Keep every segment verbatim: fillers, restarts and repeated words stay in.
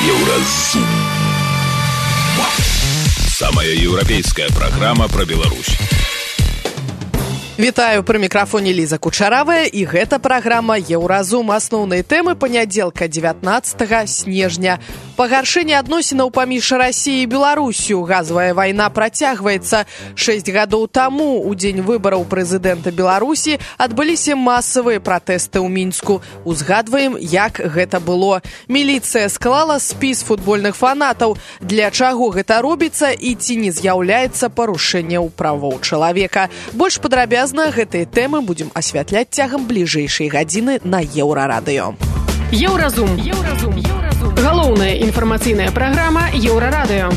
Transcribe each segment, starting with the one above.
Еўразум. Самая еўрапейская праграма пра Беларусь. Вітаю, пры мікрафоне Ліза Кучаравая, і гэта праграма «Еўразум». Асноўныя тэмы панядзелка дзевятнаццатага снежня. Пагаршэнне адносінаў паміж Расіяй і Беларусю. Газавая вайна працягваецца. Шэсць гадоў таму, у дзень выбараў прэзідэнта Беларусі, адбыліся масавыя пратэсты ў Мінску. Узгадваем, як гэта было. Міліцыя склала спіс футбольных фанатаў. Для чаго гэта робіцца і ці не з'яўляецца парушэнняў правоў чалавека. Больш падрабязна гэтыя тэмы будзем асвятляць цягам бліжэйшай гадзіны на Еўрарадыё. Еўразум. Еўразум. Галоўная інфармацыйная праграма Еўрарадыё.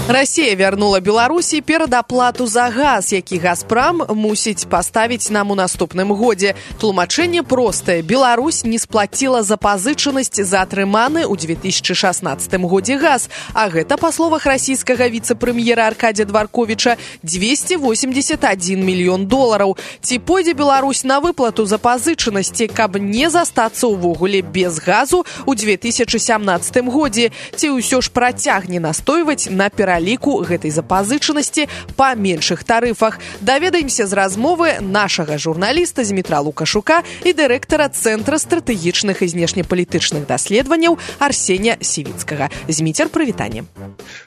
Расія вярнула Беларусі перадаплату за газ, які «Газпрам» мусіць паставіць нам у наступным годзе. Тлумачэнне простае. Беларусь не сплаціла запазычанасць за атрыманы ў две тысячы шаснаццатым годзе газ, а гэта, па словах расійскага віцэ-прэм'ера Аркадзя Дварковіча, дзвесце восемьдесят адзін мільён долараў. Ці пойдзе Беларусь на выплату запазычанасці, каб не застацца ўвогуле без газу ў две тысячы сямнаццатым годзе? Ці ўсё ж працягне настойваць на перадаплату ліку гэтай запазычанасці па меншых тарыфах? Даведаемся з размовы нашага журналіста Змітра Лукашука і дырэктара Цэнтра стратэгічных і знешнепалітычных даследаванняў Арсенія Сівіцкага. Зміцер, прывітанне.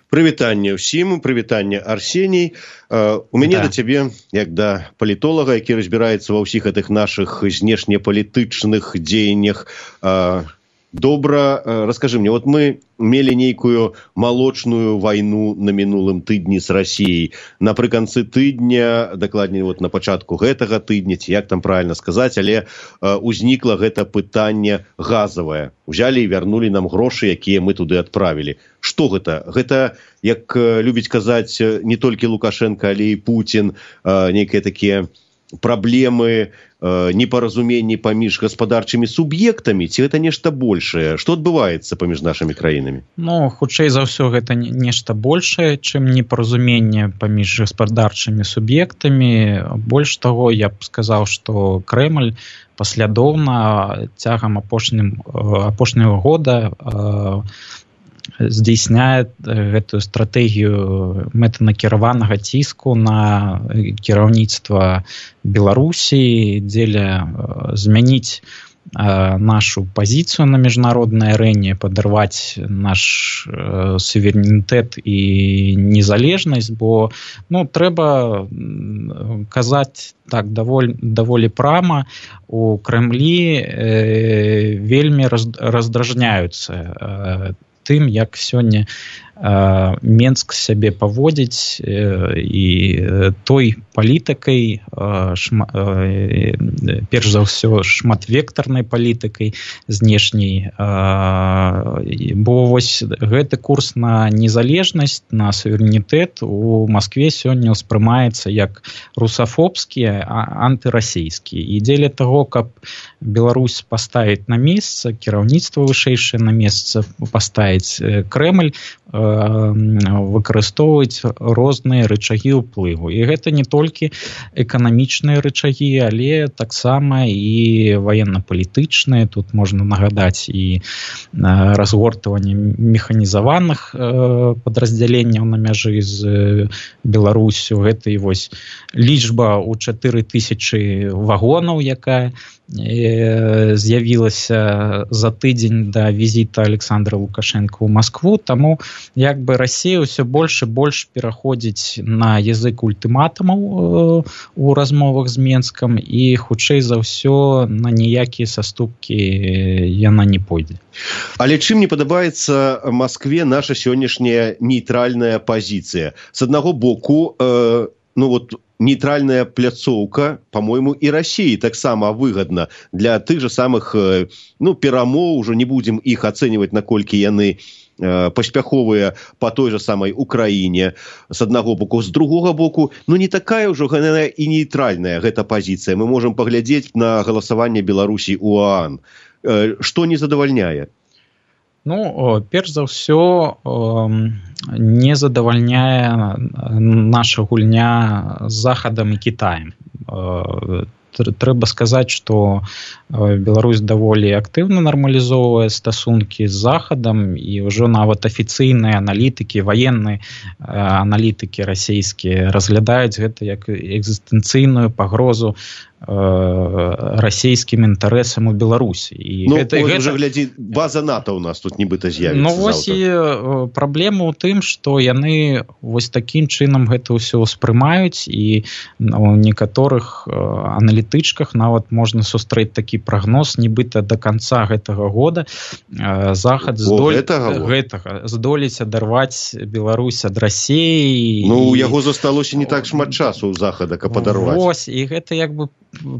Прывітанне ўсім, прывітанне, Арсеній. Uh, у мяне да. да цябе, як да палітолага, які разбіраецца ва ўсіх гэтых нашых знешнепалітычных дзеяннях, uh, добра, раскажы мне, вот мы мелі нейкую малочную вайну на мінулым тыдні з Расіяй. Напрыканцы тыдня, дакладней, вот на пачатку гэтага тыдня, ці як там правильно сказаць, але э, узнікла гэта пытанне газавае. Узялі і вярнулі нам грошы, якія мы туды адправілі. Што гэта? Гэта, як э, любіць казаць не толькі Лукашенко, але і Путін, э, нейкія такія праблемы, э, непаразуменні паміж гаспадарчымі суб'ектамі, ці гэта нешта большае? Што адбываецца паміж нашымі краінамі? Ну, хутчэй за ўсё, гэта нешта большае, чым непаразуменне паміж гаспадарчымі суб'ектамі. Больш таго, я б сказаў, што Крэмль паслядоўна цягам апошнім, апошняга года э, здзейсняе гэтую стратэгію мэтанакіраванага ціску на кіраўніцтва Беларусі, дзеля змяніць нашу пазіцыю на міжнароднай арэне, падарваць наш суверэнітэт і незалежнасць, бо ну, трэба казаць так даволі, даволі прама, у Крэмлі э, вельмі раздражняюцца э, тым, як сёння э, Менск сябе паводзіць э, і той палітыкай, э, шма, э, перш за ўсё шматвектарнай палітыкай знешняй, э, бо вось гэты курс на незалежнасць, на суверэнітэт у Маскве сёння ўспрымаецца як русафобскі, антырасійскі. І дзеля таго, каб Беларусь паставіць на месца, кіраўніцтва вышэйшае на месца паставіць, Крэмль выкарыстоўваць розныя рычагі ўплыву. І гэта не толькі эканамічныя рычагі, але таксама і ваенна-палітычныя. Тут можна нагадаць і разгортванне механізаваных падраздзяленняў на мяжы з Беларусю. Гэта і вось лічба ў чатыры тысячы вагонаў, якая з'явілася за тыдзень да візіта Александра Лукашенка ў Маскву, таму як бы Расія ўсё больш і больш пераходзіць на язык ультыматумаў у размовах з Менскам, і хутчэй за ўсё на ніякія саступкі яна не пойдзе. Але чым не падабаецца Маскве наша сённяшняя нейтральная пазіцыя? З аднаго боку, э, ну вот нейтральная пляцоўка, по-моему, і Расіі таксама выгадна для тых же самых ну, перамоў, ужо не будзем іх ацэньваць, наколькі яны э, паспяховыя па той же самай Украіне, з аднаго боку. З другога боку, ну не такая ўжо і нейтральная гэта пазіцыя. Мы можам паглядзець на галасаванне Беларусі ў ОАН. Э, што не задавальняе? Ну, перш за ўсё, не задавальняе наша гульня з Захадам і Кітаем. трэба сказаць, што Беларусь даволі актыўна нармалізоўвае стасункі з захадам, і ўжо нават афіцыйныя аналітыкі, ваенныя аналітыкі расійскія разглядаюць гэта як экзістэнцыйную пагрозу расійскім інтарэсам у Беларусі. І ну, гэта, гэта... гэта... глядзі, база НАТО ў нас тут нібыта з'явіцца. Ну, вось і праблема ў тым, што яны вось такім чынам гэта ўсё ўспрымаюць, і у некаторых аналітычках нават можна сустрэць такі прагноз, нібыта да канца гэтага года захад здоль... гэтага, гэтага здолець адарваць Беларусь ад Расіі. Ну, у і... яго засталося не так шмат часу ў захада, каб адарваць. Вось, і гэта як бы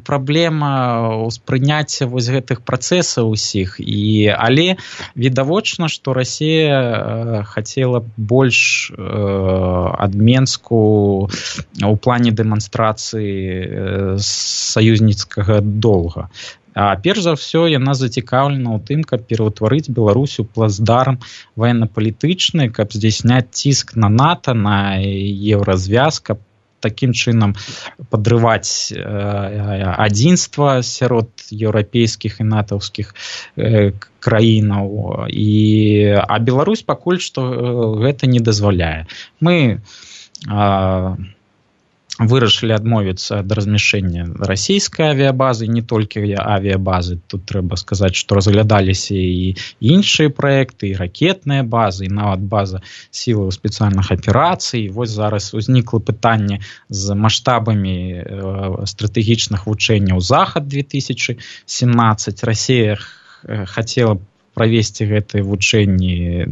праблема ўспрыняцця вось гэтых працэсаў усіх, і але відавочна, што Расія хацела больш э, ад Менску у плане дэманстрацыі саюзніцкага долга. А перш за ўсё яна зацікаўлена ў тым, каб пераўтварыць Беларусь у плацдарм ваенна-палітычны, каб здзяйсняць ціск на НАТО, на еўразвяз, каб такім чынам падрываць э, адзінства сярод еўрапейскіх і натаўскіх э, краінаў. І, а Беларусь пакуль што э, гэта не дазваляе. Мы э, вырашылі адмовіцца ад размяшчэння расійскай авіябазы, не толькі авіябазы. Тут трэба сказаць, што разглядаліся і іншыя праекты, і ракетныя базы, і нават база сілаў спецыяльных аперацый. Вось зараз узнікла пытанне з маштабамі э, стратэгічных вучэнняў Захад две тысячи семнадцать. Расія хацела правесці гэтыя вучэнні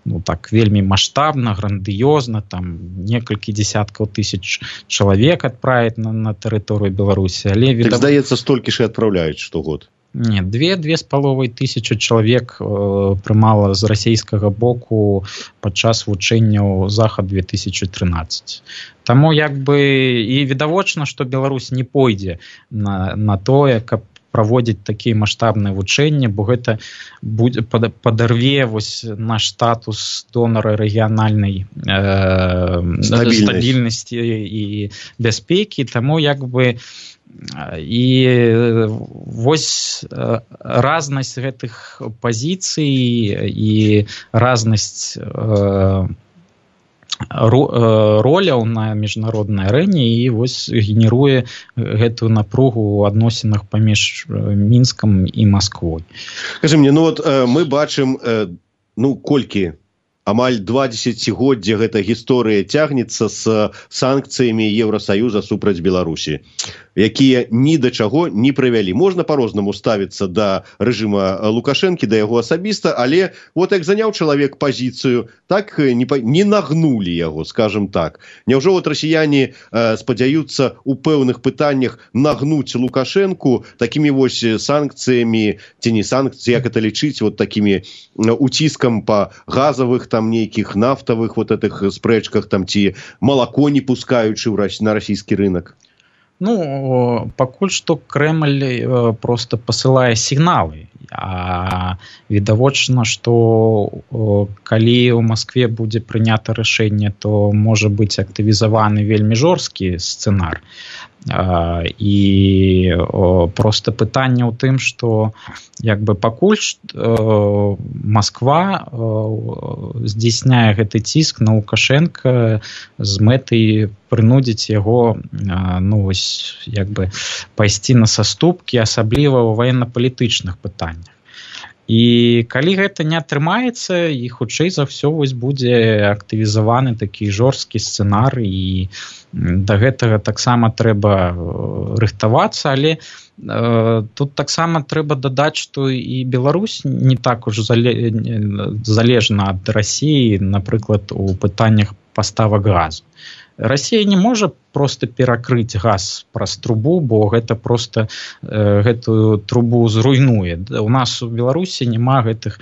ну, так, вельмі маштабна, грандыёзна, там некалькі дзесяткаў тысяч чалавек адправіць на, на тэрыторыю Беларусі. Але, так, відав... здаецца, столькі ж і адпраўляюць штогод. Не, две, две з паловай тысячы чалавек э, прымала з расійскага боку падчас вучэнняў Захад две тысячи тринадцать. Таму як бы і відавочна, што Беларусь не пойдзе на, на тое, каб праводзіць такія маштабныя вучэнні, бо гэта будзе падарве вось наш статус донара рэгіянальнай э, стабільнасці і бяспекі. Таму як бы і вось разнасць гэтых пазіцый і разнасць э, роляў на міжнароднай арэне і вось генеруе гэтую напругу ў адносінах паміж Мінскам і Масквой. Скажы мне, ну вот мы бачым, ну колькі амаль два дзесяцігоддзя гэта гісторыя цягнецца з санкцыямі Еўрасаюза супраць Беларусі, якія ні да чаго не прывялі. Можна па-рознаму ставіцца да рэжыма Лукашэнкі, да яго асабіста, але вот як заняў чалавек пазіцыю, так не, не нагнулі яго, скажем так. Няўжо вот расіяне э, спадзяюцца у пэўных пытаннях нагнуць Лукашэнку такімі вось санкцыямі, ці не санкцыі, як это лічыць, вот такімі уціскам па газавых там нейкіх нафтавых вот этих спрэчках, там ці малако не пускаючы на расійскі рынок? Ну, пакуль што Крэмль просто пасылае сігналы. А відавочна, што калі ў Маскве будзе прынята рашэнне, то можа быць актывізаваны вельмі жорсткі сцэнар. І просто пытанне ў тым, што як бы пакуль Масква здзейсняе гэты ціск на Лукашенка з мэтай прынудзіць яго ну, вось, як бы пайсці на саступкі, асабліва ў ваенна-палітычных пытаннях. І калі гэта не атрымаецца, і хутчэй за ўсё вось будзе актывізаваны такі жорсткі сцэнар, і да гэтага таксама трэба рыхтавацца, але э, тут таксама трэба дадаць, што і Беларусь не так уж зале... залежна ад Расіі, напрыклад, у пытаннях паставак газу. Расія не можа просто перакрыць газ праз трубу, бо гэта просто э, гэтую трубу зруйнуе. У нас у Беларусі няма гэтых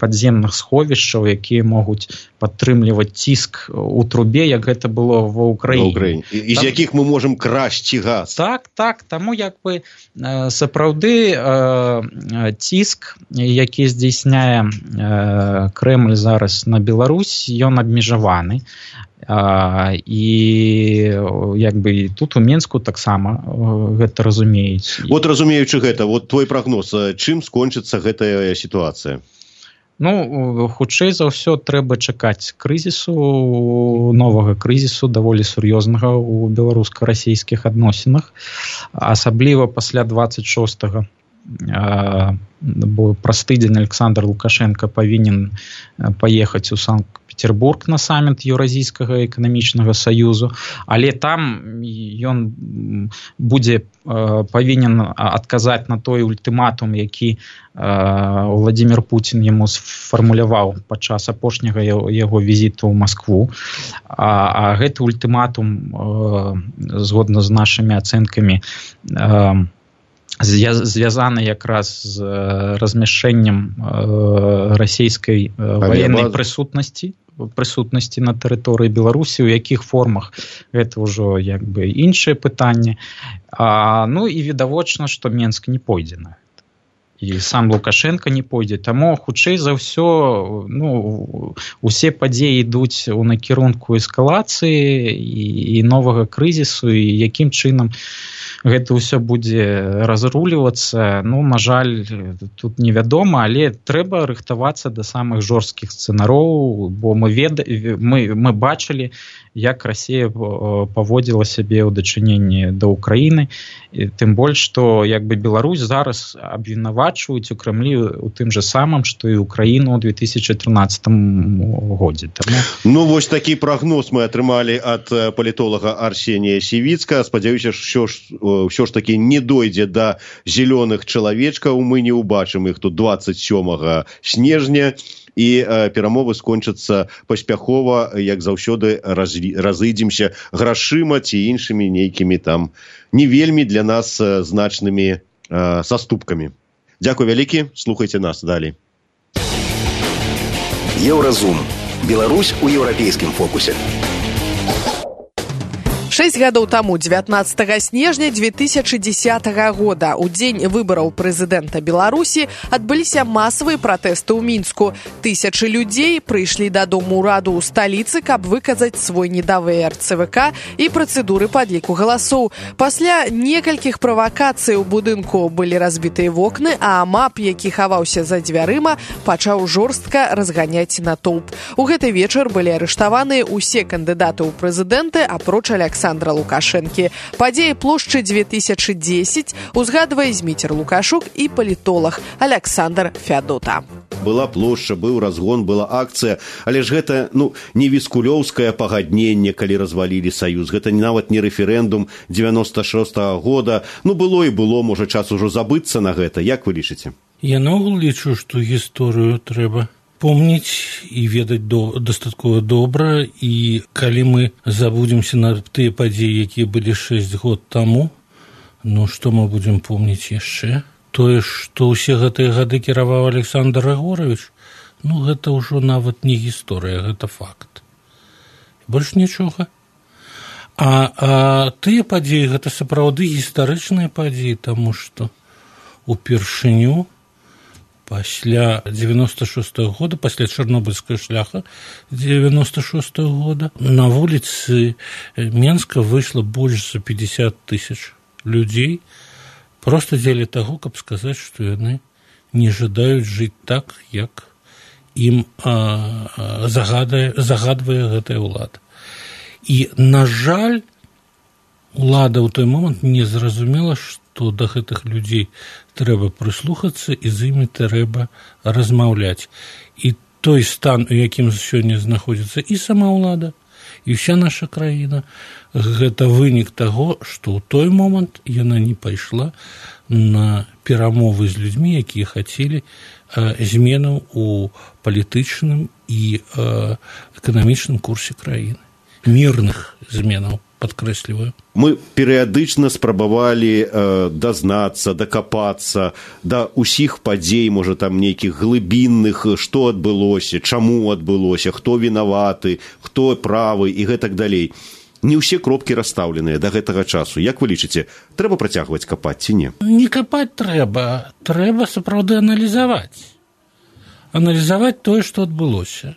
падземных сховішчаў, якія могуць падтрымліваць ціск у трубе, як гэта было ва Ўкраіне. І, і з якіх мы можам красці газ. Так, так. Таму як бы э, сапраўды э, ціск, які здзейсняе э, Крэмль зараз на Беларусь, ён абмежаваны. А, і як бы тут у Менску таксама гэта разумеюць. Вот разумеючы гэта, вот твой прагноз, чым скончыцца гэтая сітуацыя? Ну, хутчэй за ўсё трэба чакаць крызісу, новага крызісу, даволі сур'ёзнага ў беларуска-расійскіх адносінах, асабліва пасля дваццаць шостага, бо праз тыдзень Александр Лукашенко павінен паехаць у Санкт-Петербург на саміт Еўразійскага эканамічнага саюзу, але там ён будзе павінен адказаць на той ультыматум, які Владимир Путин яму сфармуляваў падчас апошняга яго візіту ў Маскву. А, а гэты ультыматум, згодна з нашымі ацэнкамі, звязаны якраз з размяшчэннем расійскай ваеннай прысутнасці прысутнасці на тэрыторыі Беларусі, у якіх формах гэта ўжо як бы іншае пытанне. А, ну і відавочна, што Менск не пойдзе на гэта. І сам Лукашенко не пойдзе. Таму хутчэй за ўсё, ну, усе падзеі ідуць у накірунку эскалацыі і, і новага крызісу, і якім чынам гэта ўсё будзе разрулівацца, ну, на жаль, тут невядома, але трэба рыхтавацца да самых жорсткіх сцэнароў, бо мы, веда... мы, мы бачылі, як Расія паводзіла сябе ў дачыненні да Ўкраіны, і тым больш, што як бы Беларусь зараз абвінавачваюць у Крэмлі у тым жа самым, што і Ўкраіну ў две тысячы трынаццатым годзе. Таму... Ну, вось такі прагноз мы атрымалі ад палітолага Арсенія Сівіцка. Спадзяюся, що ж ўсё ж такі не дойдзе да зялёных чалавечкаў, мы не ўбачым іх тут дваццаць сёмага снежня, і э, перамовы скончацца паспяхова, як заўсёды раз, разыдземся грашыма ці іншымі нейкімі там не вельмі для нас э, значнымі э, саступкамі. Дзякуй вялікі, слухайце нас далей. Еўразум. Беларусь у еўрапейскім фокусе. Шэсць гадоў таму, дзевятнаццатага снежня две тысячы дзесятага года, у дзень выбараў прэзідэнта Беларусі, адбыліся масавыя пратэсты ў Мінску. Тысячы людзей прыйшлі дадому ўраду ў сталіцы, каб выказаць свой недавер ЦВК і працэдуры падліку галасоў. Пасля некалькіх правакацый у будынку былі разбітыя вокны, а МАП, які хаваўся за дзвярыма, пачаў жорстка разганяць натоўп. У гэты вечар былі арыштаваныя ўсе кандыдаты ў прэзідэнты, апроч Александра Александра Лукашэнкі. Падзеі плошчы две тысячы дзесяць узгадвае Зміцер Лукашук і палітолог Александр Фядота. Была плошча, быў разгон, была акцыя, але ж гэта, ну, не віскулёўскае пагадненне, калі развалілі саюз. Гэта нават не рэферэндум дзевяноста шостага года. Ну, было і было, можа, час ужо забыцца на гэта. Як вы лічыце? Я наогул лічу, што гісторыю трэба помніць і ведаць до, дастаткова добра, і калі мы забудземся на тыя падзеі, якія былі шэсць год таму, ну што мы будзем помніць яшчэ? Тое, што ўсе гэтыя гады кіраваў Александр Григорович, ну гэта ўжо нават не гісторыя, гэта факт. Больш нічога. А, а тыя падзеі, гэта сапраўды гістарычныя падзеі, таму што упершыню пасля дзевяноста шостага года, пасля Чарнобыльскага шляха дзевяноста шостага года, на вуліцы Менска выйшла больш за пятьдесят тысяч людзей, проста дзеля таго, каб сказаць, што яны не жадаюць жыць так, як ім а, загадае, загадвае гэтая ўлада. І, на жаль, улада ў той момант не зразумела, што да гэтых людзей трэба прыслухацца і з імі трэба размаўляць. І той стан, у якім сёння знаходзіцца і сама ўлада, і ўся наша краіна, гэта вынік таго, што ў той момант яна не пайшла на перамовы з людзьмі, якія хацелі э, зменаў у палітычным і э, эканамічным курсе краіны. Мірных зменаў, падкрэсліваю. Мы перыядычна спрабавалі э, дазнацца, дакапацца да ўсіх падзей, можа, там нейкіх глыбінных, што адбылося, чаму адбылося, хто вінаваты, хто правы і гэтак далей. Не ўсе кропкі расстаўленыя да гэтага часу. Як вы лічыце, трэба працягваць капаць ці не? Не капаць трэба, трэба сапраўды аналізаваць. аналізаваць тое, што адбылося.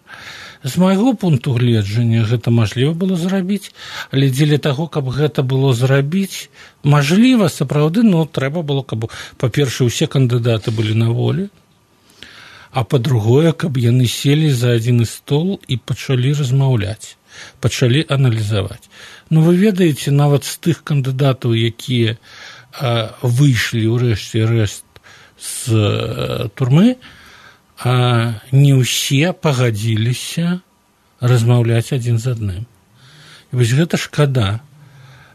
З майго пункту гледжання гэта мажліва было зрабіць, але дзеля таго, каб гэта было зрабіць, мажліва, сапраўды, но трэба было, каб, па-першае, усе кандыдаты былі на волі, а па-другое, каб яны селі за адзін стол і пачалі размаўляць, пачалі аналізаваць. Ну, вы ведаеце, нават з тых кандыдатаў, якія а, выйшлі ўрэшце рэшт з а, турмы, а не ўсе пагадзіліся размаўляць адзін з адным. І вось гэта шкада.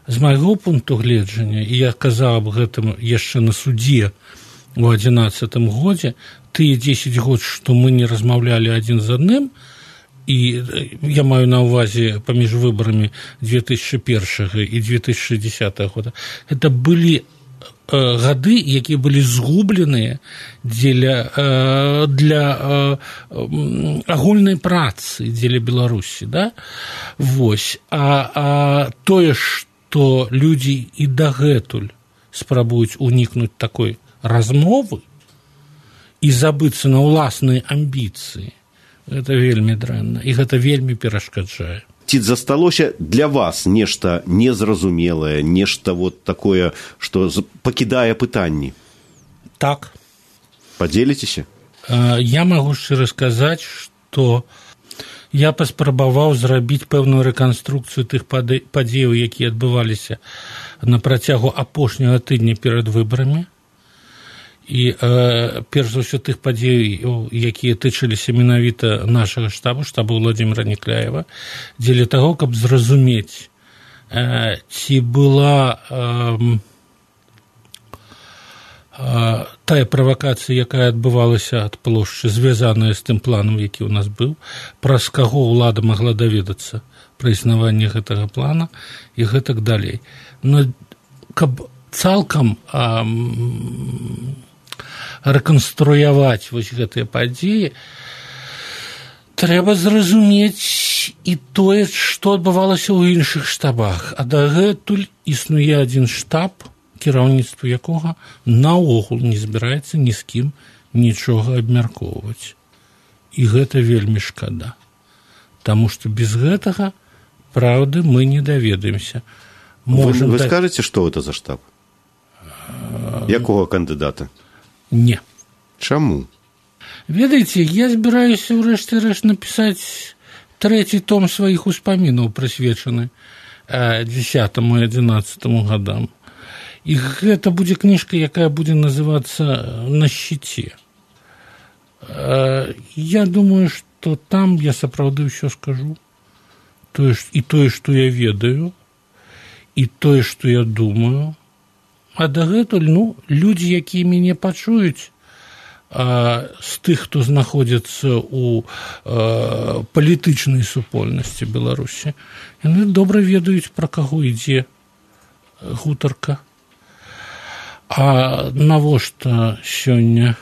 З майго пункту гледжання, і я казаў аб гэтым яшчэ на судзе у адзінаццатым годзе, тыя дзесяць год, што мы не размаўлялі адзін з адным, і я маю на ўвазе паміж выбарамі две тысячы першага і две тысячы дзесятага года, гэта былі гады, якія былі згубленыя дзеля, для агульнай працы дзеля Беларусі, да? Вось. А, а тое, што людзі і дагэтуль спрабуюць унікнуць такой размовы і забыцца на ўласныя амбіцыі, гэта вельмі дрэнна, і гэта вельмі перашкаджае. Ці засталося для вас нешта незразумелае, нешта вот такое, што пакідае пытанні? Так. Падзеліцеся? Я магу шчыра сказаць, што я паспрабаваў зрабіць пэўную рэканструкцыю тых падзеяў, якія адбываліся на працягу апошняга тыдня перад выбарамі. І э, перш за ўсё тых падзей, якія тычыліся менавіта нашага штабу, штабу Владимира Некляева, дзеля таго, каб зразумець, э, ці была э, э, тая правакацыя, якая адбывалася ад плошчы, звязаная з тым планам, які ў нас быў, праз каго ўлада магла даведацца пра існаванне гэтага плана і гэтак далей. Но каб цалкам э, рэканструяваць вось гэтыя падзеі, трэба зразумець і тое, што адбывалася ў іншых штабах. А дагэтуль існуе адзін штаб, кіраўніцтва якога наогул не збіраецца ні з кім нічога абмяркоўваць. І гэта вельмі шкада. Таму што без гэтага праўды мы не даведаемся. Можем вы, вы да... скажаце, што гэта за штаб? Якога кандыдата? Не. Чаму? Ведаеце, я збіраюся ўрэшце рэшт напісаць трэці том сваіх успамінаў, прысвечаны дзесятаму і адзінаццатаму гадам. І гэта будзе кніжка, якая будзе называцца «На шчыце». Я думаю, што там я сапраўды ўсё скажу. Тое, і тое, што я ведаю, і тое, што я думаю. А дагэтуль, ну, людзі, якія мяне пачуюць, а, з тых, хто знаходзіцца ў а, палітычнай супольнасці Беларусі, яны добра ведаюць, пра каго ідзе гутарка. А навошта сёння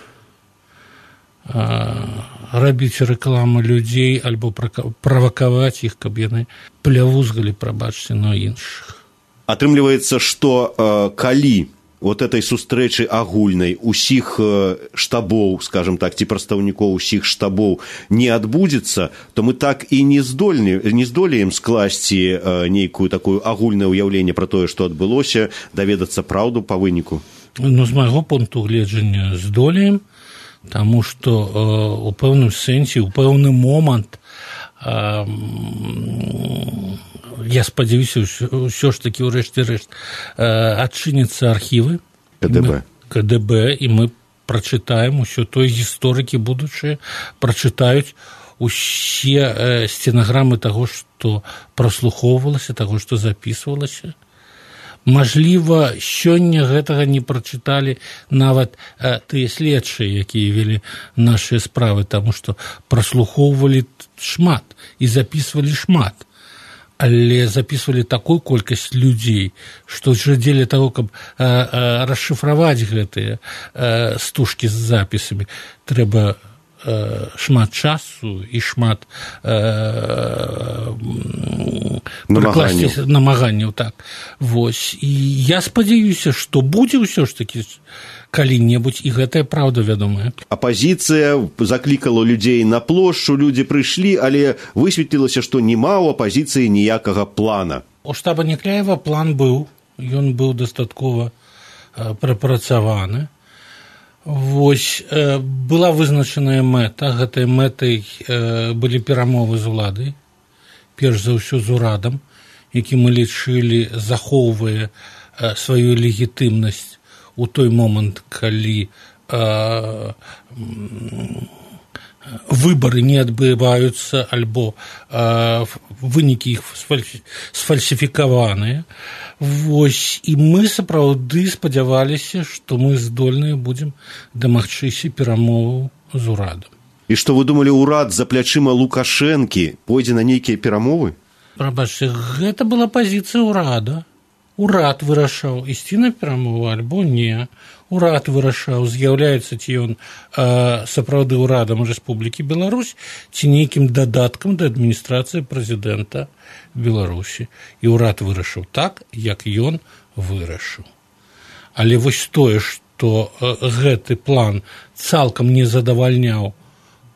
а, рабіць рэкламу людзей альбо правакаваць іх, каб яны плявузгалі, прабачце, на іншых? Атрымліваецца, што э, калі вот этой сустрэчы агульнай усіх э, штабоў, скажем так, ці прадстаўнікоў усіх штабоў не адбудзецца, то мы так і не здольны, не здолеем скласці э, нейкую такую агульнае ўяўленне пра тое, што адбылося, даведацца праўду па выніку. Ну, з майго пункту гледжання здолеем, таму што э, у пэўным сэнсе, у пэўны момант э, я спадзяюся, ўсё ж такі ўрэшце рэшт адчыняцца архівы КДБ. КДБ, і мы прачытаем усё тое, гісторыкі будучыя прачытаюць усе э, стенаграмы таго, што праслухоўвалася, таго, што запісвалася. Мажліва, сёння гэтага не прачыталі нават э, тыя следчыя, якія вялі нашыя справы, таму што праслухоўвалі шмат і запісвалі шмат. Але запісвалі такую колькасць людзей, што ж дзеля таго, каб а, а, расшыфраваць гэтыя а, стужкі з запісамі, трэба э, шмат часу і шмат э, намаганняў. намаганняў так. Вось. І я спадзяюся, што будзе ўсё ж такі калі-небудзь, і гэтая праўда вядомая. Апазіцыя заклікала людзей на плошчу, людзі прыйшлі, але высветлілася, што няма ў апазіцыі ніякага плана. У штаба Некляева план быў, ён быў дастаткова э, прапрацаваны. Вось, э, была вызначаная мэта, гэтай мэтай э, былі перамовы з уладай, перш за ўсё з урадам, які мы лічылі захоўвае э, сваю легітымнасць у той момант, калі э, выбары не адбываюцца, альбо э, вынікі іх сфальсіфікаваныя. Вось, і мы сапраўды спадзяваліся, што мы здольныя будзем дамагчыся перамоваў з урадам. І што вы думалі, урад за плячыма Лукашэнкі пойдзе на нейкія перамовы? Прабачце, гэта была пазіцыя ўрада. Урад вырашаў, ісці на перамову альбо не. Урад вырашаў, з'яўляецца ці ён э, сапраўды ўрадам Рэспублікі Беларусь, ці нейкім дадаткам да адміністрацыі прэзідэнта Беларусі. І ўрад вырашыў так, як ён вырашыў. Але вось тое, што э, гэты план цалкам не задавальняў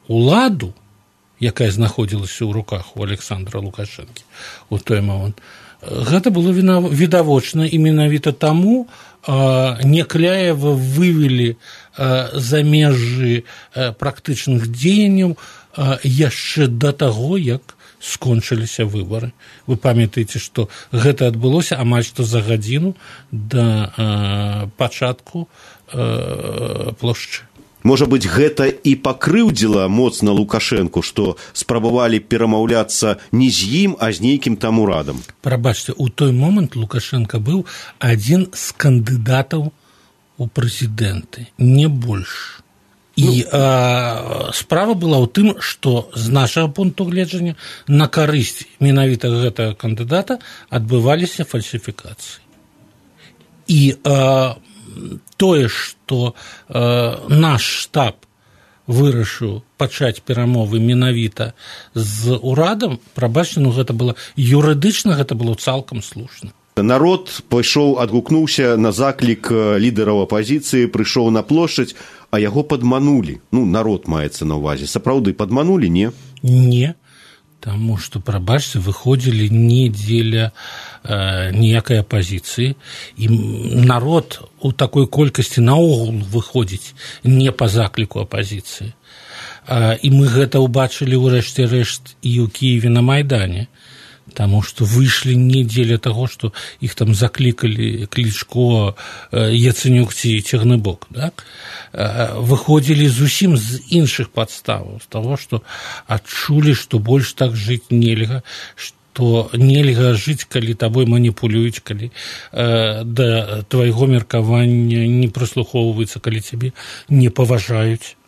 уладу, якая знаходзілася ў руках у Александра Лукашэнкі у той момант, гэта было відавочна, і менавіта таму э, Некляева вывелі э, за межы э, практычных дзеянняў э, яшчэ да таго, як скончыліся выбары. Вы памятаеце, што гэта адбылося амаль што за гадзіну да э, пачатку э, плошчы. Можа быць, гэта і пакрыўдзіла моцна Лукашэнку, што спрабавалі перамаўляцца не з ім, а з нейкім там урадам. Прабачце, у той момант Лукашенко быў адзін з кандыдатаў у прэзідэнты, не больш. І ну, а, справа была ў тым, што з нашага пункту гледжання на карысць менавіта гэтага кандыдата адбываліся фальсіфікацыі. І а, тое, што э, наш штаб вырашыў пачаць перамовы менавіта з урадам, прабачце, ну гэта было юрыдычна, гэта было цалкам слушна. Народ пайшоў, адгукнуўся на заклік лідараў апазіцыі, прыйшоў на плошчадь, а яго падманулі. Ну, народ маецца на ўвазе. Сапраўды падманулі, не? Не. Таму што, прабачце, выходзілі не дзеля э, ніякай апазіцыі, і народ у такой колькасці наогул выходзіць не па закліку апазіцыі. Э, і мы гэта ўбачылі ў рэшце рэшт і ў Кіеве на Майдане, таму што выйшлі не дзеля таго, што іх там заклікалі Клічко, э, Яцэнюк ці Цягныбок, так? Выходзілі зусім з іншых падставаў, з таго, што адчулі, што больш так жыць нельга, што нельга жыць, калі табой маніпулююць, калі э, да твайго меркавання не прыслухоўваюцца, калі цябе не паважаюць.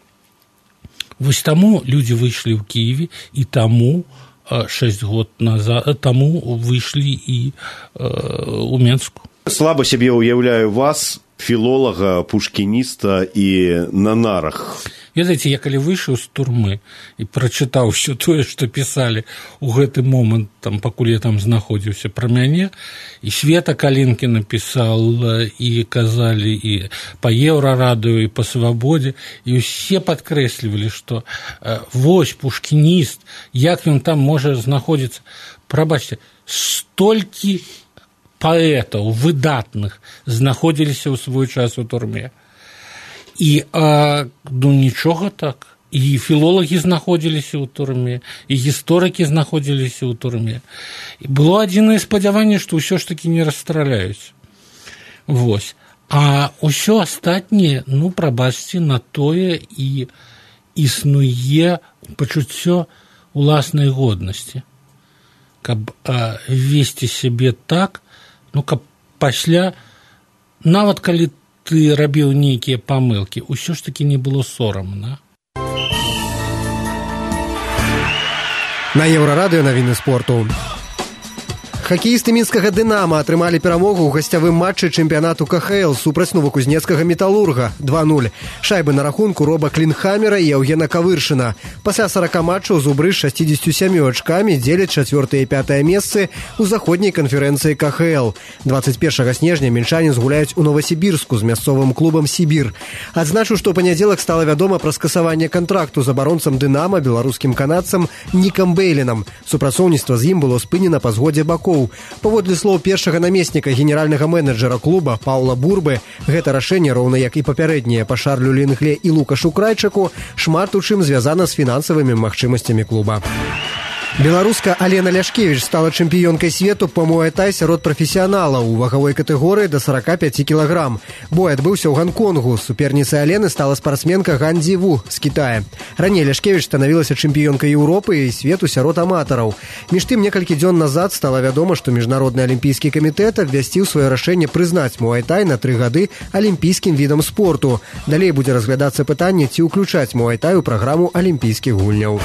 Вось таму людзі выйшлі ў Кіеве, і таму шэсць год назад, таму выйшлі і э, ў Менску. Слаба сябе ўяўляю вас, філолага, пушкініста і на нарах. Ведаеце, я калі выйшаў з турмы і прачытаў ўсё тое, што пісалі ў гэты момант, там, пакуль я там знаходзіўся пра мяне, і Света Калінкі напісал, і казалі і па Еўрарадыё, і па Свабодзе, і ўсе падкрэслівалі, што э, вось пушкініст, як ён там можа знаходзіцца. Прабачце, столькі паэтаў выдатных знаходзіліся ў свой час у турме. І, а, ну, нічога так. І філолагі знаходзіліся ў турме, і гісторыкі знаходзіліся ў турме. І было адзінае спадзяванне, што ўсё ж такі не расстраляюць. Вось. А ўсё астатняе, ну, прабачце, на тое і існуе пачуццё уласнай годнасці. Каб а, весці сябе так, ну, каб пасля, нават калі ты рабіў нейкія памылкі, усё ж такі не было сорамна. На Еўрарадыё навіны спорту. Хакеісты мінскага «Дынама» атрымалі перамогу ў гасцявым матчы чэмпіянату ка ха эл супраць новакузнецкага «Металурга» два нуль. Шайбы на рахунку Роба Клінхамера і Яўгена Кавыршына. Пасля сорока матчаў зубры з шасцідзесятю сямю ачкамі дзеляць чацвёртае і пятае месцы ў заходняй канферэнцыі ка ха эл. дваццаць першага снежня мінчане згуляюць у Новасібірску з мясцовым клубам «Сібір». Адзначу, што ў панядзелак стала вядома пра скасаванне кантракту з абаронцам «Дынама» беларускім канадцам Нікам Бейлінам. Супрацоўніцтва з ім было спынена па згодзе бакоў. Паводле слоў першага намесніка генеральнага менеджера клуба Паўла Бурбы, гэта рашэнне, роўна як і папярэднія па Шарлю Лінгле і Лукашу Крайчаку, шмат у чым звязана з фінансавымі магчымасцямі клуба. Беларуска Алена Ляшкевіч стала чэмпіёнкай свету па муай-тай сярод прафесіяналаў у вагавой катэгорыі да сорока пяти кілаграм. Бой адбыўся ў Ганконгу. Суперніцай Алены стала спартсменка Ган Дзіву з Кітая. Раней Ляшкевіч станавілася чэмпіёнкай Еўропы і свету сярод аматараў. Між тым, некалькі дзён назад стала вядома, што Міжнародны алімпійскі камітэт абвясціў сваё рашэнне прызнаць муай-тай на тры гады алімпійскім відам спорту. Далей будзе разглядацца пытанне, ці ўключаць муай-тай у праграму алімпійскіх гульняў.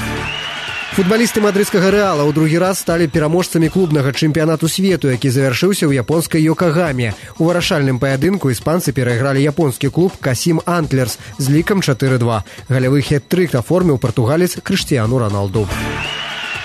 Футбалісты мадрыдскага «Рэала» ў другі раз сталі пераможцамі клубнага чэмпіянату свету, які завяршыўся ў японскай Йокагаме. У вырашальным паядынку іспанцы перайгралі японскі клуб «Касім Антлерс» з лікам чатыры два. Галявы хет-трык аформіў партугалец Крыштыяну Роналду.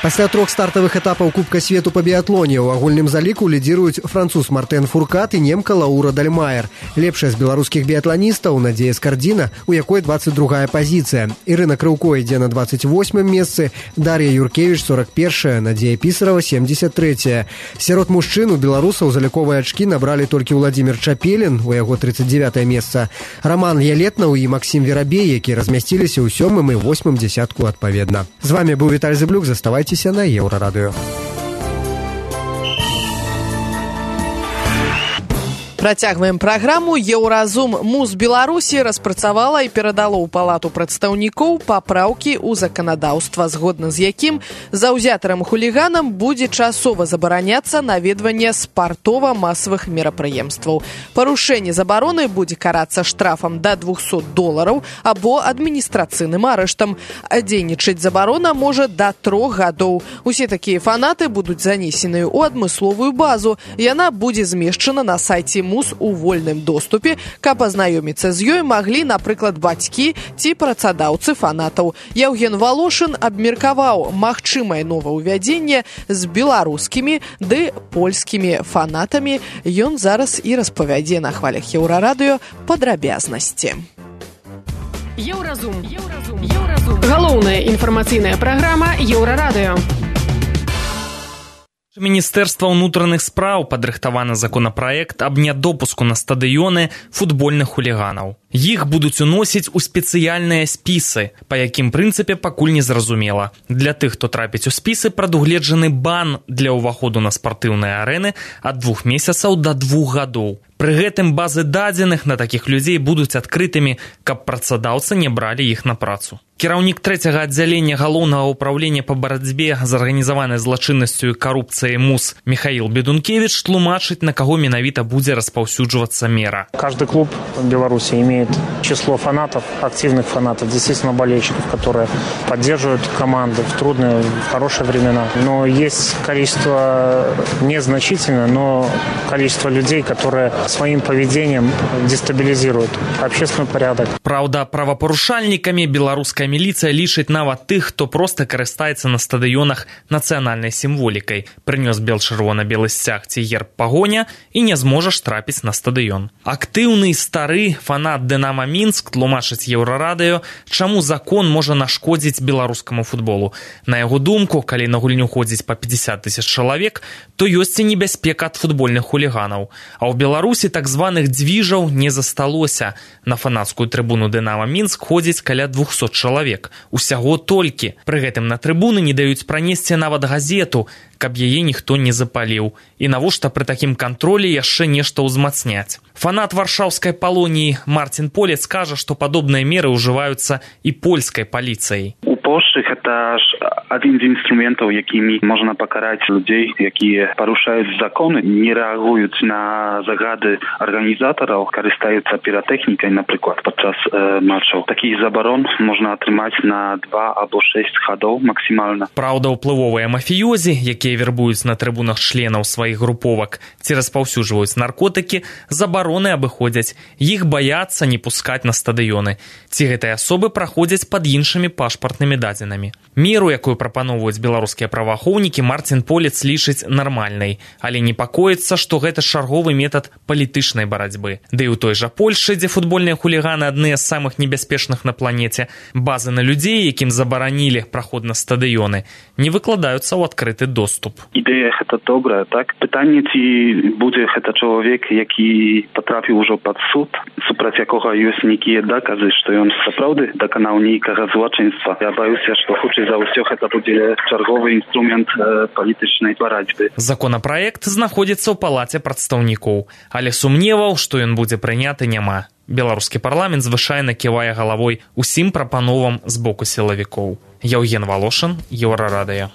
Пасля трох стартавых этапаў Кубка свету па біятлоне ў агульным заліку лідзіруюць француз Мартэн Фуркат і немка Лаура Дальмаер. Лепшая з беларускіх біятланістаў Надзея Скардзіна, у якой дваццаць другая пазіцыя. Ірына Крыўко ідзе на дваццаць восьмым месцы, Дар'я Юркевіч сорок першая, Надзея Пісарава семьдесят третья. Сярод мужчын у беларусаў заліковыя ачкі набралі толькі Владзімір Чапелін, у яго тридцать девятое месца, Роман Ялетнаў і Максім Верабей, які размясціліся ў сёмым і восьмым дзясятку адпаведна. З вами быў Віталь Зыблюк, заставайцеся на Еўрарадыё. Працягваем праграму. Еўразум Муз Беларусі распрацавала і перадала ў палату прадстаўнікоў папраўкі ў заканадаўства, згодна з якім заўзятарам хуліганам будзе часова забараняцца наведванне спартова-масавых мерапрыемстваў. Парушэнне забароны будзе карацца штрафам да двухсот долараў або адміністрацыйным арыштам. Дзейнічаць забарона можа да трох гадоў. Усе такія фанаты будуць занесеныя ў адмысловую базу. Яна будзе змешчана на сайце Муз у вольным доступе, каб азнаёміцца з ёй маглі, напрыклад, бацькі ці працадаўцы фанатаў. Яўген Валошын абмеркаваў магчымае новаўвядзенне з беларускімі ды польскімі фанатамі. Ён зараз і распавядзе на хвалях Еўрарадыё падрабязнасці. Еўразум. Еўразум. Еўразум. Галоўная інфармацыйная праграма Еўрарадыё. Міністэрства ўнутраных спраў падрыхтаваны законапраект аб нядопуску на стадыёны футбольных хуліганаў. Іх будуць уносіць у спецыяльныя спісы, па якім прынцыпе пакуль не зразумела. Для тых, хто трапіць у спісы, прадугледжаны бан для ўваходу на спартыўныя арэны ад двух месяцаў да двух гадоў. Пры гэтым базы дадзеных на такіх людзей будуць адкрытымі, каб працадаўцы не бралі іх на працу. Кіраўнік трэцяга аддзялення галоўнага ўправлення па барацьбе з арганізаванай злачыннасцю і карупцыяй МУЗ Михаил Бедункевич тлумачыць, на каго менавіта будзе распаўсюджвацца мера. Каждый клуб в Беларуси имеет число фанатов, активных фанатов, действительно болельщиков, которые поддерживают команду в трудные, в хорошие времена. Но есть количество незначительное, но количество людей, которые своим поведением дестабилизируют общественный порядок. Праўда, правапарушальнікамі беларуская міліцыя лічыць нават тых, хто проста карыстаецца на стадыёнах нацыянальнай сімволікай, прынёс бел-чырвона-белы сцяг ці герб пагоня і не зможаш трапіць на стадыён. Актыўны стары фанат «Дынама Мінск» тлумачыць Еўрарадыё, чаму закон можа нашкодзіць беларускаму футболу. На яго думку, калі на гульню ходзіць па пятьдесят тысяч чалавек, то ёсць і небяспека ад футбольных хуліганаў. А ў Беларусі так званых дзвіжаў не засталося. На фанацкую трыбуну «Дынама Мінск» ходзіць каля двухсот чалавек. Усяго толькі. Пры гэтым на трыбуны не даюць пранесці нават газету, каб яе ніхто не запаліў. І навошта пры такім кантролі яшчэ нешта ўзмацняць. Фанат варшаўскай палоніі Марцін Полец кажа, што падобныя меры ўжываюцца і польскай паліцыяй. У Польшчы гэта Это один из инструментов, якими можно покарать людей, которые порушают законы, не реагируют на загады организаторов, користаются пиротехникой, например, подчас э, матчаў. Таких заборон можно отрымать на два або шесть ходов максимально. Праўда, уплывовыя мафіёзі, якія вербуюць на трыбунах членаў сваіх груповак ці распаўсюджваюць наркотыкі, забароны абыходзяць. Іх баяцца не пускаць на стадыёны. Ці гэтыя асобы праходзяць пад іншымі пашпартнымі дадзенымі. Меру, якую прапаноўваюць беларускія праваахоўнікі, Марцін Полец лічыць нармальнай, але непакоіцца, што гэта чарговы метад палітычнай барацьбы. Ды і ў той жа Польшы, дзе футбольныя хуліганы адныя з самых небяспечных на планеце, базы на людзей, якім забаранілі праход на стадыёны, не выкладаюцца ў адкрыты доступ. Ідэя гэта добрая, так? Пытанне, ці будзе гэта чалавек, які патрапіў ужо пад суд, супраць якога ёсць нейкія доказы, што ён сапраўды даканаў нейкага злачынства. Я баюся, што хутчэй за ўсё гэта будзе чарговы інструмент э, палітычнай барацьбы. Законапраект знаходзіцца ў палаце прадстаўнікоў, але сумневаў, што ён будзе прыняты, няма. Беларускі парламент звычайна ківае галавой усім прапановам з боку сілавікоў. Яўген Валошын, Еўрарадыё.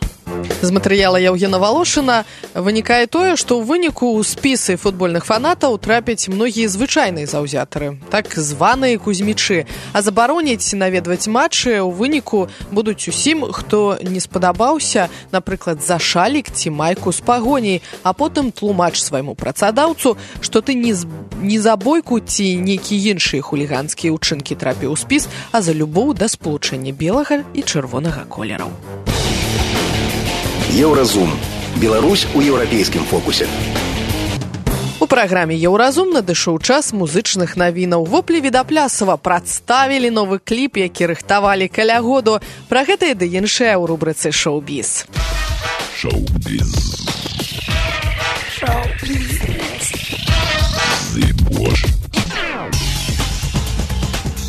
З матэрыяла Яўгена Валошына вынікае тое, што ў выніку ў спісы футбольных фанатаў трапяць многія звычайныя заўзятары, так званыя кузьмічы, а забароніць наведваць матчы ў выніку будуць усім, хто не спадабаўся, напрыклад, за шалік ці майку з пагоняй, а потым тлумач свайму працадаўцу, што ты не, з... не за бойку ці нейкія іншыя хуліганскія ўчынкі трапіў у спіс, а за любоў да спалучэння белага і чырвонага колераў. Еўразум. Беларусь у еўрапейскім фокусе. У праграме «Еўразум» надышоў час музычных навінаў. Воплі Відаплясова прадставілі новы кліп, які рыхтавалі каля году. Пра гэта і ды іншае ў рубрыцы «Шоу-біз». Шоу-біз. Шоу-біз.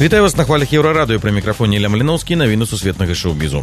Вітаю вас на хвалях Еўрарадыё, пры мікрафоне Ілля Маліноўскі, навіны сусветнага шоу-бізу.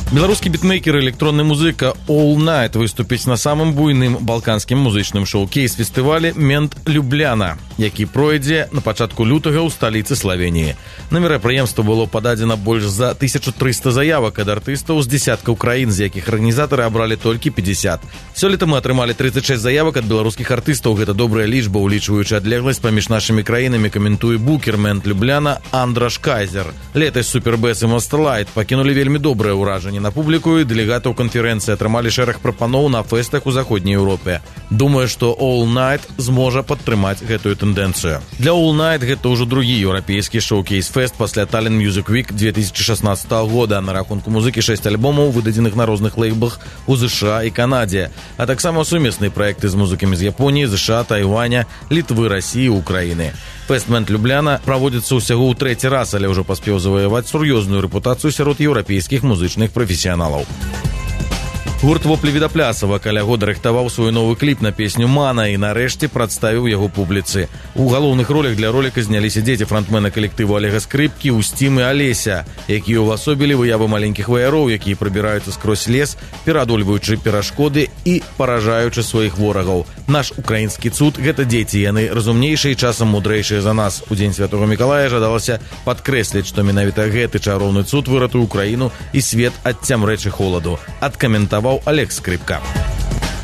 Беларускі бітмейкер і электронны музыка All Night выступіць на самым буйным балканскім музычным шоу-кейс-фестывалі «Мент Любляна», які пройдзе на пачатку лютага ў сталіцы Славеніі. На мерапрыемства было пададзена больш за тысячу трыста заявак ад артыстаў з дзясяткаў краін, з якіх арганізатары абралі толькі пятьдесят. Сёлета мы атрымалі тридцать шесть заявак ад беларускіх артыстаў. Гэта добрая лічба, улічваючы адлегласць паміж нашымі краінамі, каментуе букер «Мент Любляна» Андраш Кайзер. Летась Супербэс і Мастерлайт пакінулі вельмі добрае ўражанне на публіку, і дэлегатаў канферэнцыі атрымалі шэраг прапаноў на фэстах у заходняй Еўропе. Думаю, што All Night зможа падтрымаць гэтую тэндэнцыю. Для All Night гэта ўжо другі еўрапейскі шоу-кейс-фэст пасля Tallinn Music Week две тысячи шестнадцатого года. На рахунку музыкі шэсць альбомаў, выдадзеных на розных лейблах у ЗША і Канадзе, а таксама сумесныя праекты з музыкамі з Японіі, ЗША, Тайваня, Літвы, Расіі, Украіны. Фэст «Мент Любляна» праводзіцца ўсяго ў трэці раз, але ўжо паспеў заваяваць сур'ёзную рэпутацыю сярод еўрапейскіх музычных прафесіяналаў. Гурт «Воплі Відаплясова» каля года рыхтаваў свой новы кліп на песню «Мана» і нарэшце прадставіў яго публіцы. У галоўных ролях для роліка зняліся дзеці франтмена калектыву Олега Скрыпкі, Устім і Алеся, якія ўвасобілі выявы маленькіх ваяроў, якія прабіраюцца скрозь лес, пераадольваючы перашкоды і паражаючы сваіх ворагаў. Наш украінскі цуд – гэта дзеці, яны разумнейшыя і часам мудрэйшыя за нас. У дзень Святога Мікалая жадалася падкрэсліць, што менавіта гэты чароўны цуд выратуе Украіну і свет ад цямрэчы холаду. Адкаментаваў Олег Скрипка.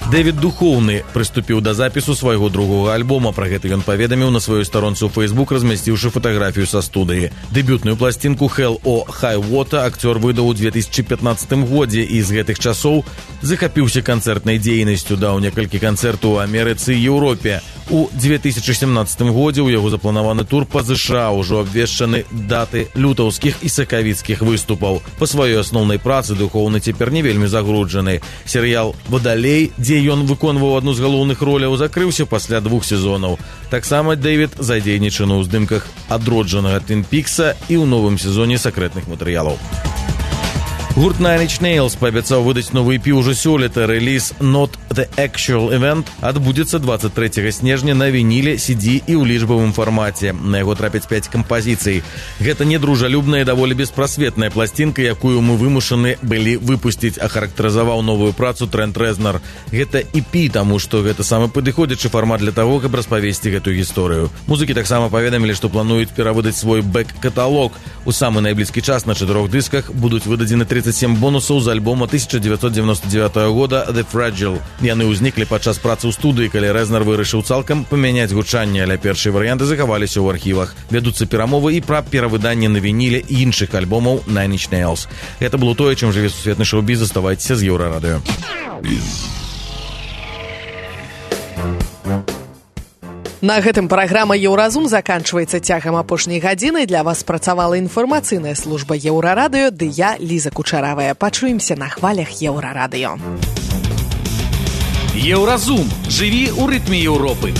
Дэвід Духоўны прыступіў да запісу свайго другога альбома. Пра гэта ён паведаміў на сваёй старонцы ў Facebook, размясціўшы фатаграфію са студыі. Дэбютную пласцінку «Hell or High Water» акцёр выдаў у две тысячи пятнадцатым годзе і з гэтых часоў захапіўся канцэртнай дзейнасцю, даў некалькі канцэртаў у Амерыцы і Еўропе. У две тысячи семнадцатым годзе ў яго запланаваны тур па ЗША, ужо абвешчаны даты лютаўскіх і сакавіцкіх выступаў. Па сваёй асноўнай працы Духоўны цяпер не вельмі загруджаны. Серыял «Вадалей», дзе ён выконваў адну з галоўных роляў, закрыўся пасля двух сезонаў. Таксама Дэвід задзейнічаны ў здымках адроджанага Твін Пікса і ў новым сезоне сакрэтных матэрыялаў. Гурт Nine Inch Nails паабяцаў выдаць новы і пі ўжо сёлета. Рэліз «Not The Actual Event адбудзецца двадцать третьего снежня на вініле, си ди і ў лічбавым фармаце. На яго трапяць пяць кампазіцый. Гэта недружалюбная і даволі беспрасветная пласцінка, якую мы вымушаны былі выпусціць, ахарактарызаваў новую працу Трэнт Рэзнар. Гэта і пі, таму што гэта самы падыходзячы фармат для таго, каб распавесці гэтую гісторыю. Музыкі таксама паведамілі, што плануюць перавыдаць свой бэк-каталог. У самы найблізкі час на чатырох дысках будуць выдадзены тридцать семь бонусаў з альбома тысяча девятьсот девяносто девятого года The Fragile. Яны ўзніклі падчас працы ў студыі, калі Рэзнар вырашыў цалкам памяняць гучанне, але першыя варыянты захаваліся ў архівах. Вядуцца перамовы і пра перавыданне на вініле і іншых альбомаў Nine Inch Nails. Гэта было тое, чым жыве сусветны шоу-біз. Заставайцеся з Еўрарадыё. На гэтым праграма «Еўразум» заканчваецца. Цягам апошняй гадзіны для вас працавала інфармацыйная служба Еўрарадыё, ды я, Ліза Кучаравая. Пачуемся на хвалях Еўрарадыё. Еўразум. Жыві ў рытме Еўропы.